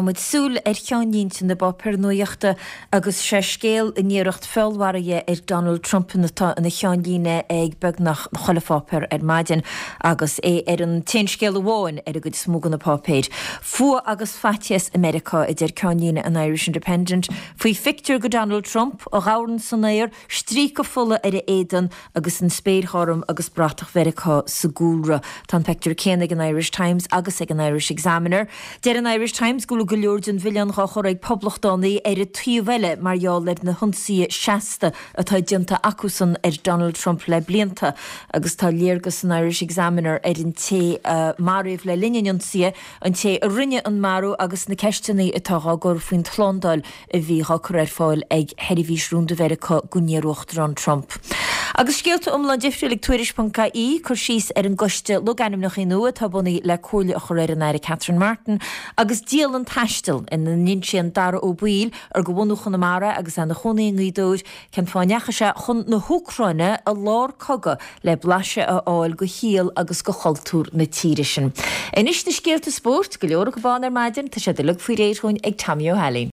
Caithfimid súil ar cheannlínte na bpáipéar nuachta agus sé scéal an iarracht feallmharaithe ar Donald Trump atá ina cheannlíne ag beagnach chuile pháipéar ar maidin agus é ar an t-aon scéal amháin ar an gcuid is mó de na páipéir. Fuath agus faitíos i Meiriceá, a deir ceannlíne an Irish Independent faoi phictiúr de Donald Trump, a dhamhán san aer, stríoca fola ar a éadan agus an spéir ghorm agus bratach Mheiriceá sa gcúlra. Tá an pictiúr céanna ag an Irish Times agus ag an Irish Examiner. Deir an Irish Times go bhfuil go leor den mhilleán dhá chur ag poblachtánaigh ar an taobh eile mar gheall ar na hionsaithe seasta atá déanta acusan ar Donald Trump le blianta agus tá léargas san Irish Examiner ar an té a maraíodh le linn an ionsaithe, an té a rinne an marú agus na ceisteanna atá dhá gcur faoin tslándáil a bhí dhá cur ar fáil ag Sheirbhís Rúnda Mheiriceá don iarUachtarán Trump. Agus scéalta iomlán difriúil ag Tuairisc.ie, cur síos ar an gcoiste logainmneacha nua atá bunaithe le comhairle a chur ar an Aire Catherine Martin, agus dialann taistil ina n-insíonn Dara Ó Baoill, ar de bhunadh Chonamara agus é ina chónaí i nGaoth Dobhair, cén fáth a ndeachaigh sé chun na hÚcráine i lár cogadh le blaiseadh a fháil de shaol agus de chultúr na tíre sin. Anois na scéalta spóirt, go leor acu ann ar maidin, tá siad uilig faoi réir dhúinn ag Tommy Ó hAilín.